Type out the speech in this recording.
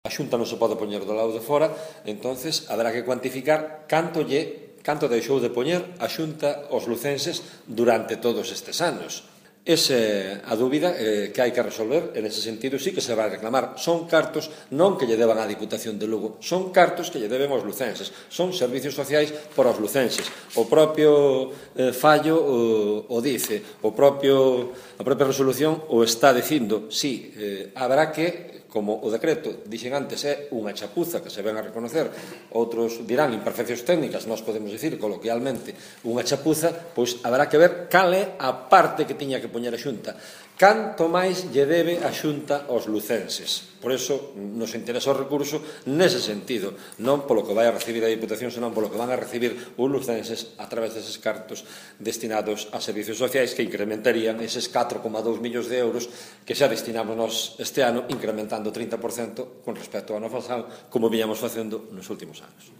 A Xunta non se pode poñer do lado de fora, entonces haberá que cuantificar canto deixou de poñer a Xunta aos lucenses durante todos estes anos. Esa é a dúbida que hai que resolver, en ese sentido sí que se vai reclamar. Son cartos non que lle deban á Diputación de Lugo, son cartos que lle deben aos lucenses, son servicios sociais para os lucenses. O propio fallo o dice, a propia resolución o está dicindo, sí, haberá que, como o decreto, dixen antes, é unha chapuza que se ven a reconocer, outros dirán imperfeccións técnicas, nós podemos dicir coloquialmente unha chapuza, pois haberá que ver cal é a parte que tiña que poñer a Xunta. Canto máis lle debe a Xunta aos lucenses. Por iso nos interesa o recurso nese sentido, non polo que vai a recibir a Diputación, senón polo que van a recibir os lucenses a través deses cartos destinados a servicios sociais que incrementarían eses 4,2 millóns de euros que xa destinamos nós este ano, incrementando 30% con respecto ao ano pasado, como viñamos facendo nos últimos anos.